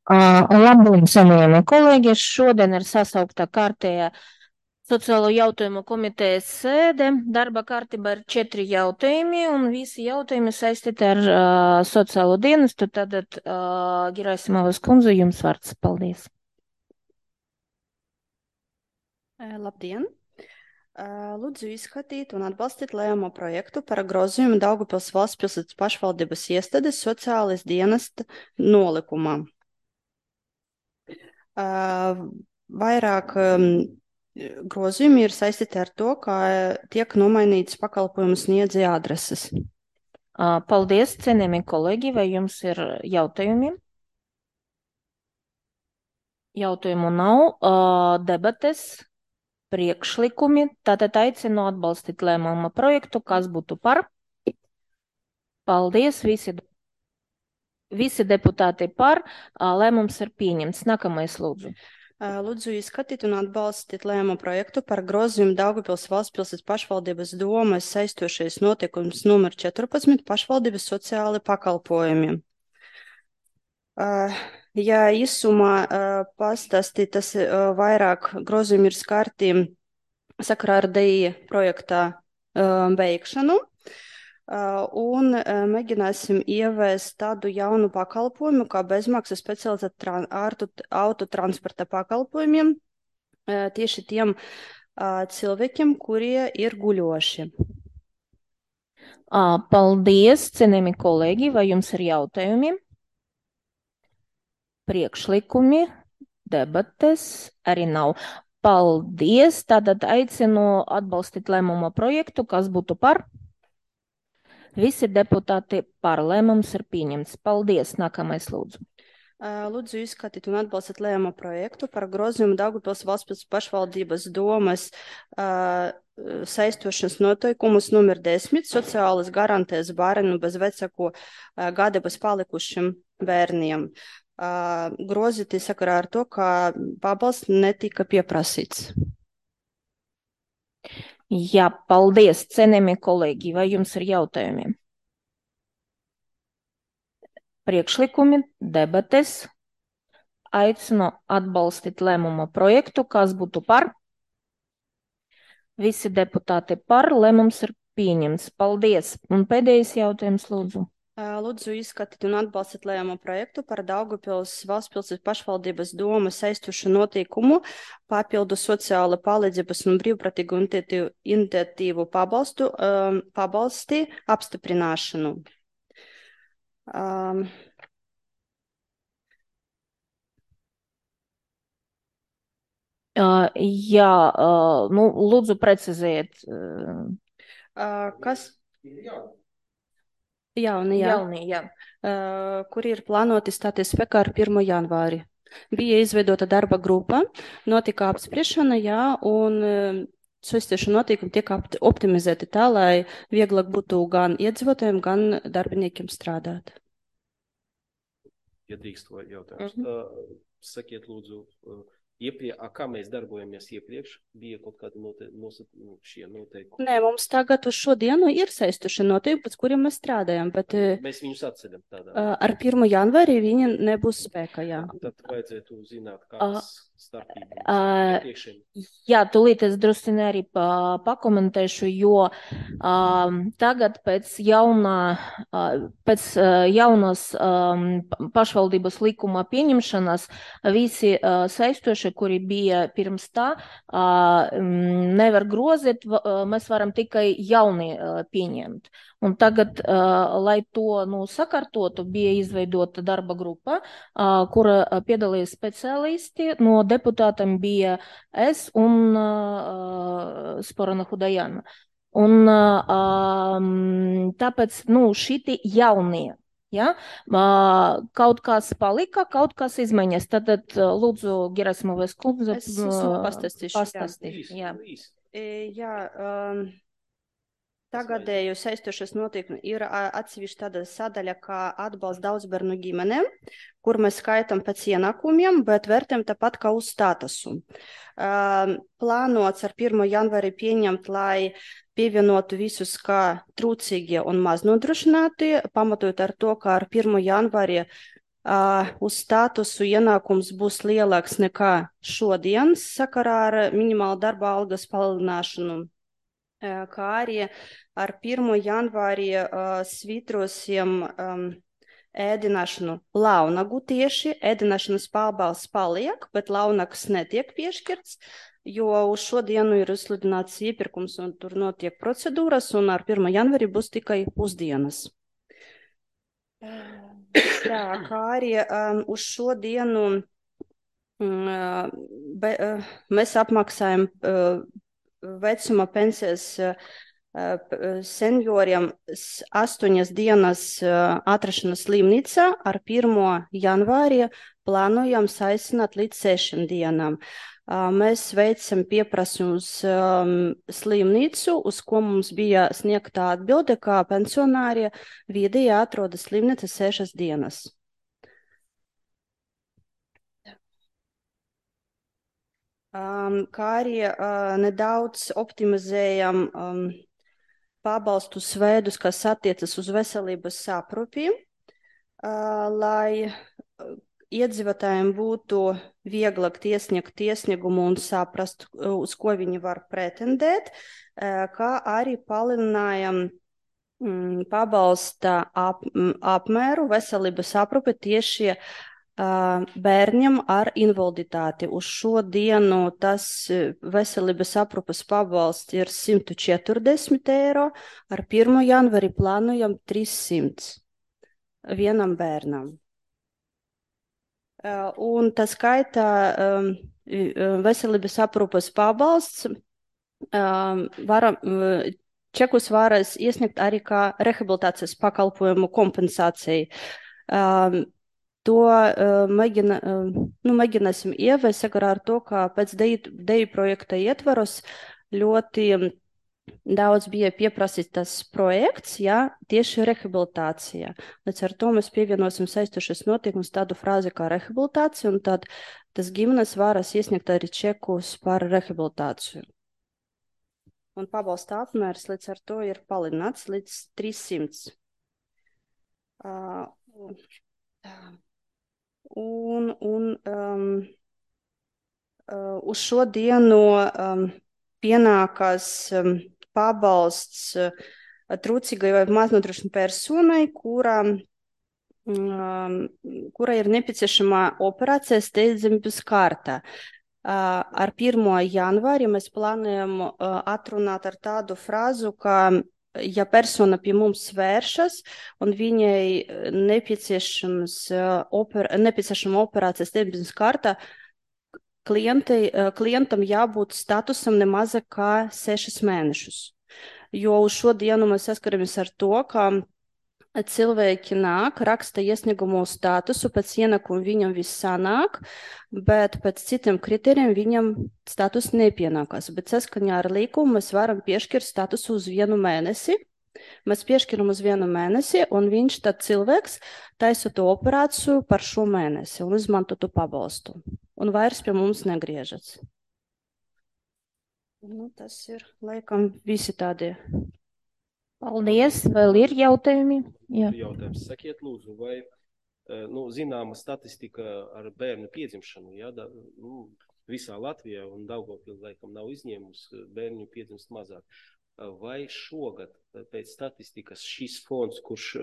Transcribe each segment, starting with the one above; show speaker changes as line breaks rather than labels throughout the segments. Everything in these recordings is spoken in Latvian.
Labdien, cienījamie kolēģi! Šodien ir sasaukta kārtējā sociālo jautājumu komitejas sēde. Darba kārtībā ir 4 jautājumi, un visi jautājumi saistīti ar sociālo dienestu. Tātad, Gerasimovas kundze, jums vārds. Paldies!
Labdien! Lūdzu izskatīt un atbalstīt lēmumu projektu par grozījumu Daugavpils valsts pilsētas pašvaldības iestādes sociālais dienesta nolikumā. Vairāk grozījumi ir saistīti ar to, ka tiek nomainītas pakalpojumu sniedzēja adreses.
Paldies, cienījamie kolēģi! Vai jums ir jautājumi? Jautājumu nav. Debates, priekšlikumi. Tātad aicinu atbalstīt lēmuma projektu. Kas būtu par? Paldies, visi deputāti par. Lēmums ir pieņemts. Nākamais lūdzu.
Lūdzu izskatīt un atbalstīt lēmumu projektu par grozījumu Daugavpils valsts pilsētas pašvaldības domas saistošais noteikums numur 14 pašvaldības sociāli pakalpojumiem. Ja īsumā pastāstīt, tas vairāk grozījumi ir skarti sakarā ar DI projektā beigšanu. Un mēģināsim ieviest tādu jaunu pakalpojumu, kā bezmaksas specializēta autotransporta pakalpojumiem tieši tiem cilvēkiem, kurie ir guļoši.
Paldies, cienījami kolēģi! Vai jums ir jautājumi? Priekšlikumi, debates arī nav. Paldies! Tātad aicinu atbalstīt lēmuma projektu. Kas būtu par? Visi deputāti par. Lēmums ir pieņemts. Paldies! Nākamais lūdzu.
Lūdzu izskatīt un atbalstīt lēmumu projektu par grozījumu Daugavpils valsts pašvaldības domas saistošanas noteikumus numur 10 sociālas garantēs bērnu bez vecāko gadības palikušiem bērniem. Grozīti sakarā ar to, ka pabalsts netika pieprasīts.
Jā, paldies, cienījamie kolēģi! Vai jums ir jautājumi? Priekšlikumi, debates. Aicinu atbalstīt lēmuma projektu. Kas būtu par? Visi deputāti par. Lēmums ir pieņemts. Paldies! Un pēdējais jautājums, lūdzu.
Lūdzu izskatīt un atbalstīt lēmumu projektu par Daugavpils valsts pilsētas pašvaldības domas saistošu noteikumu papildu sociāla palīdzības un brīvprātīgu iniciatīvu pabalsti apstiprināšanu.
Jā, nu, lūdzu precizēt.
Kas? Jauni, jā. Kur ir plānoti stāties spēkā ar 1. janvāri. Bija izveidota darba grupa, notika apspriešana, jā, un saistīšu noteikumi tiek optimizēti tā, lai vieglāk būtu gan iedzīvotājiem, gan darbiniekiem strādāt.
Ja drīkst to jautājums. Sakiet, lūdzu, kā mēs darbojamies iepriekš? Bija kaut kādi šie noteikumi?
Nē, mums tagad uz šodienu ir saistoši noteikumi, pēc kuriem mēs strādājam, bet
mēs viņus atceļam tādā.
Ar 1. janvāri viņi nebūs spēkā, jā.
Tad vajadzētu zināt, kādas starpības.
Jā, tūlīt es drusciņi arī pakomentēšu, jo tagad pēc jaunas pašvaldības likuma pieņemšanas visi saistoši, kuri bija pirms tā, nevar grozīt, mēs varam tikai jauni pieņemt. Un tagad, lai to sakārtotu, bija izveidota darba grupa, kura piedalījās speciālisti. No deputātiem bija es un Sporana Hudajana. Un tāpēc, šiti jaunie. Ja? Kaut kas palika, kaut kas izmaiņas. Tad lūdzu, Gerasimovas kundze, pastāstīt.
Jā, tagadēju saistošas noteikumi ir atsevišķi tāda sadaļa, kā atbalsts daudzbērnu ģimenēm, kur mēs skaitam pēc ienākumiem, bet vērtējam tāpat kā uz statusu. Plānots ar 1. janvāri pieņemt, lai pievienotu visus kā trūcīgie un maznodrošinātie, pamatojot ar to, ka ar 1. janvāri Uz statusu ienākums būs lielāks nekā šodienas sakarā ar minimālu darba algas palielināšanu, kā arī ar 1. janvāri svītrosim ēdināšanu launagu tieši. Ēdināšanas pabalsts paliek, bet launakas netiek piešķirts, jo uz šodienu ir izsludināts iepirkums un tur notiek procedūras, un ar 1. janvāri būs tikai pusdienas. Tā, kā arī uz šodienu mēs apmaksājam vecuma pensijas senioriem 8 dienas atrašanās slimnīcā, ar 1. janvāri plānojam saīsināt līdz 6 dienām. Mēs veicam pieprasījumu uz slimnīcu, uz ko mums bija sniegta atbilde, kā pensionāri vidēji atrodas slimnīca 6 dienas. Kā arī nedaudz optimizējam pabalstu veidus, kas attiecas uz veselības aprūpi, lai iedzīvotājiem būtu vieglāk iesniegt iesniegumu un saprast, uz ko viņi var pretendēt, kā arī palielinājam pabalsta apmēru veselības aprūpe tieši bērniem ar invaliditāti. Uz šodienu tas veselības aprūpes pabalsts ir 140 eiro, ar 1. janvāri plānojam 300 vienam bērnam. Un tā skaitā veselības aprūpes pabalsts čekus varēs iesniegt arī kā rehabilitācijas pakalpojumu kompensāciju. To mēģināsim ieviest sakarā ar to, ka pēc DEI projekta ietvaros ļoti daudz bija pieprasīts tas projekts, tieši rehabilitācijā. Līdz ar to mēs pievienosim saistošas notiekumus tādu frāzi kā rehabilitācija, un tad tas ģimenes varas iesniegt arī čekus par rehabilitāciju. Un pabalsta apmērs līdz ar to ir palielināts līdz 300. Uz šodienu pienākas pabalsts trūcīgai vai maznodrošinātai personai, kura ir nepieciešama operācija steidzamības kārtā. Ar 1. janvāri mēs plānojam atrunāt ar tādu frāzu, ka, ja persona pie mums vēršas un viņai nepieciešama operācija steidzamības kārtā, klientam jābūt statusam nemazāk kā 6 mēnešus. Jo uz šodienu mēs saskaramies ar to, ka cilvēki nāk, raksta iesniegumu statusu, pēc ienākumu viņam viss sanāk, bet pēc citiem kriterijiem viņam status nepienākas. Bet saskaņā ar līkumu mēs varam piešķirt statusu uz 1 mēnesi. Mēs piešķiram uz 1 mēnesi, un viņš tad cilvēks taisa to operāciju par šo mēnesi un izmanto to pabalstu. Un vairs pie mums negriežas. Tas ir, laikam, visi tādie.
Paldies. Vēl ir jautājumi? Jā.
Jautājums. Sakiet, lūdzu, vai zināma statistika ar bērnu piedzimšanu, visā Latvijā un Daugavpils laikam nav izņēmusi, bērnu piedzimst mazāk. Vai šogad pēc statistikas šis fonds, kurš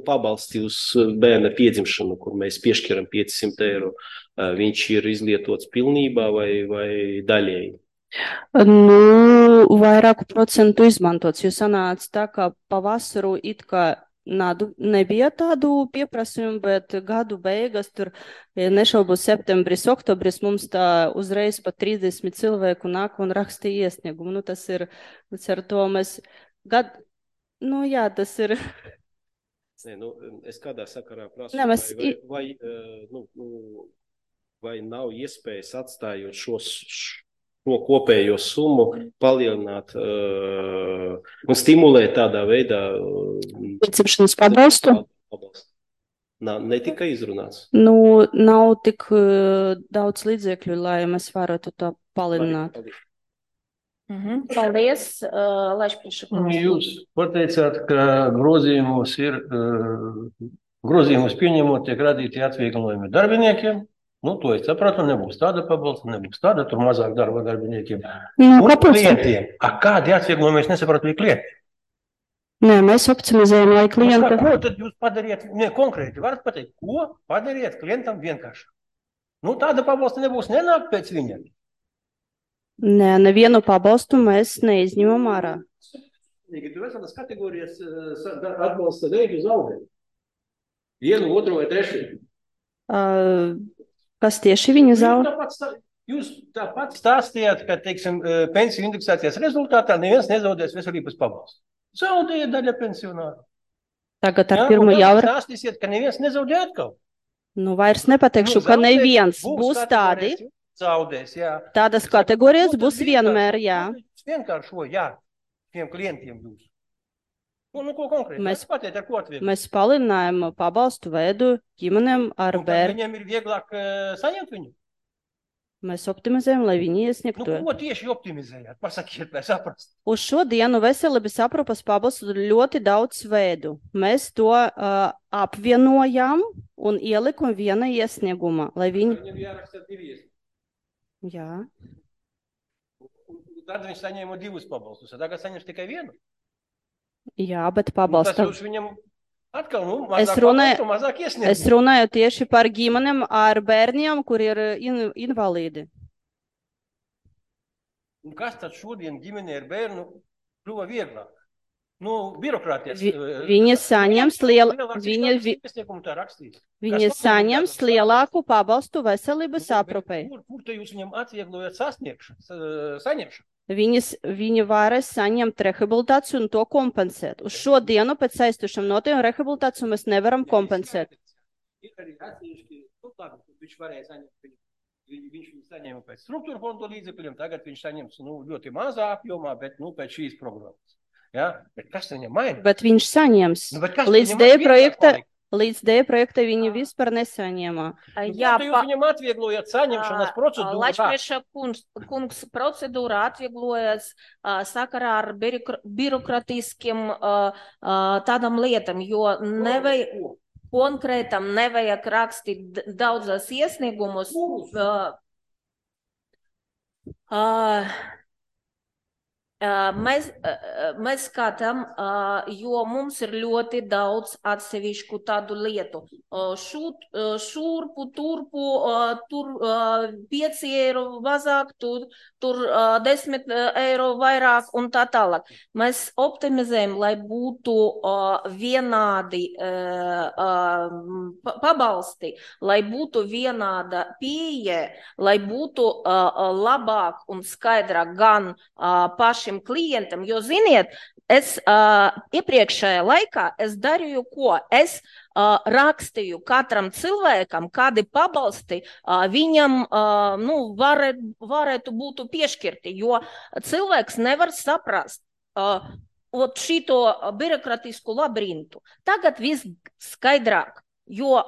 pabalsti uz bērna piedzimšanu, kur mēs piešķiram 500 eiro, viņš ir izlietots pilnībā vai daļēji?
Vairāku procentu izmantots, jo sanāca tā, ka pavasaru it kā nebija tādu pieprasījumu, bet gadu beigas tur, nešaubos septembris, oktobris, mums tā uzreiz pa 30 cilvēku nāk un rakstīja iesniegumu. Tas ir, līdz ar to mēs tas ir.
Es kādā sakarā prasu, vai nav iespējas atstājot šo kopējo summu palielināt un stimulēt tādā veidā
piedzimšanas pabalstu?
Ne tikai izrunāts.
Nav tik daudz līdzekļu, lai mēs varētu to palielināt.
Paldies. Laišpriekšlikums.
Jūs pateicāt, ka grozījumos ir grozījumus pieņemot, tiek radīti atvieglojumi darbiniekiem. Nu, to es sapratu, nebūs tāda pabalsta, nebūs tāda, tur mazāk darba darbiniekiem.
Nu,
Un
kāpēc?
klientiem. Kādi atvieglojumi es nesapratu, bija klienti?
Nē, mēs optimizējam, lai klienta.
Ko tad jūs padariet, konkrēti varat pateikt, ko padariet klientam vienkārši? Nu, tāda pabalsta nebūs, nenāk pēc viņa.
Nē, nevienu pabalstu mēs neizņemam ārā.
Tu esi tas kategorijas atbalsta veidi zaudēt. Vienu, otru vai trešu.
Kas tieši viņa zaudē?
Jūs tāpat stāstījāt, ka, teiksim, pensiju indeksācijas rezultātā neviens nezaudēs veselības pabalstu. Zaudēja daļa pensionāru.
Tagad ar 1. janvāri.
Stāstīsiet, ka neviens nezaudēja atkal.
Nu, vairs nepateikšu, ka neviens būs tādi.
Zaudēs, jā.
Tādas kategorijas būs vienmēr, jā.
Vienkāršo, jā, tiem klientiem jūs. Nu, ko konkrēti? Patiet, ar ko atviegli?
Mēs palielinājām pabalstu veidu ģimenēm ar bērnu.
Viņiem ir vieglāk saņemt viņu?
Mēs optimizējam, lai viņi iesniegtu.
Nu, ko tieši optimizējāt? Pasakiet, lai saprast.
Uz šo dienu veselības aprūpas pabalstu ļoti daudz veidu. Mēs to apvienojam un ielikam viena iesnieguma, lai viņi...
Viņam jāraksta 2 iesniegumi.
Jā.
Tad viņš saņēma 2 pabalstus, tagad saņems tikai 1.
Jā, bet pabalsta...
Tas jūs viņam atkal, mazāk iesniegumi.
Es runāju tieši par ģimenēm ar bērniem, kur ir invalīdi.
Un kas tad šodien ģimenē ar bērnu kļuva vieglāk? Nu, birokrātijas...
Viņi saņems lielāku pabalstu veselības aprūpei.
Kur te jūs viņam atvieglojat saņemšanu?
Viņi varēs saņemt rehabilitāciju un to kompensēt. Uz šo dienu pēc aiztušam noteikumiem rehabilitāciju mēs nevaram kompensēt.
Ir arī atsevišķi, viņš varēja saņemt, viņš saņēma pēc struktūra fondu līdzekļiem, tagad viņš saņems ļoti mazā apjomā, bet pēc šīs programmas. Ja? Bet kas viņam maina?
Bet viņš saņems. Līdz D projekta viņi vispār nesaņēmā.
Jā,
jūs viņam atvieglojat saņemšanas procedūru.
Lačprieša kungs procedūra atvieglojas sakarā ar birokratiskiem tādam lietam, jo konkrētam nevajag rakstīt daudzas iesniegumus. Mēs skatām, jo mums ir ļoti daudz atsevišķu tādu lietu. Šurpu, turpu, tur 5 eiro mazāk, tur 10 eiro vairāk un tā tālāk. Mēs optimizējam, lai būtu vienādi pabalsti, lai būtu vienāda pieeja, lai būtu labāk un skaidrāk gan pašiem klientam, jo, ziniet, es iepriekšējā laikā es darīju ko? Es rakstīju katram cilvēkam, kādi pabalsti viņam varētu būt piešķirti, jo cilvēks nevar saprast šito birokratisku labirintu. Tagad viss skaidrāk, jo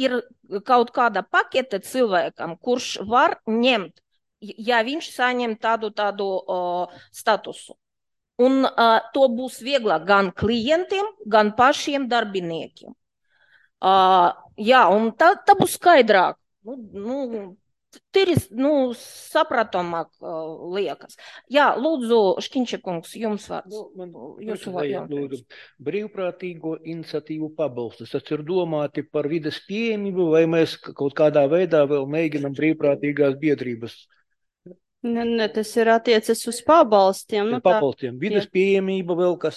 ir kaut kāda pakete cilvēkam, kurš var ņemt, ja viņš saņem tādu statusu. Un to būs vieglāk gan klientiem, gan pašiem darbiniekiem. Jā, un tā būs skaidrāk. Sapratamāk liekas. Jā, lūdzu, Škiņčakungs, jums vārds.
Brīvprātīgo iniciatīvu pabalstus. Tas ir domāti par vides pieejamību, vai mēs kaut kādā veidā vēl mēģinam brīvprātīgās biedrības?
Ne, tas ir attiecas uz pabalstiem.
Pabalstiem. Vides pieejamība vēl kas?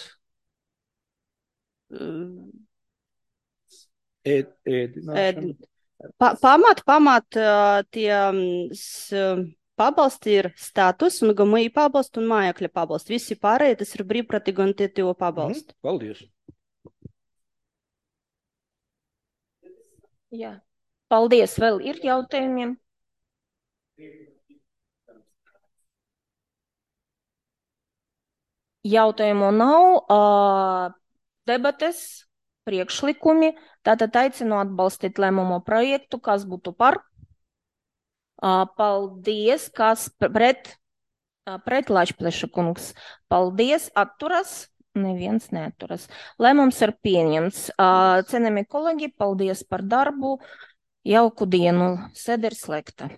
Pamat tie pabalsti ir status un GMI pabalsti un mājokļa pabalsti. Visi pārējie tas ir brīvprātīgo iniciatīvu pabalsti.
Paldies.
Jā. Paldies. Vēl ir jautājumiem? Jautājumu nav, debates, priekšlikumi, tātad aicinu atbalstīt lēmumu projektu, kas būtu par. Paldies, kas pret Lačpleša kungs. Paldies, atturas, Neviens neaturas. Lēmums ir pieņemts. Cienījamie kolēģi, paldies par darbu. Jauku dienu. Sēde ir slēgta.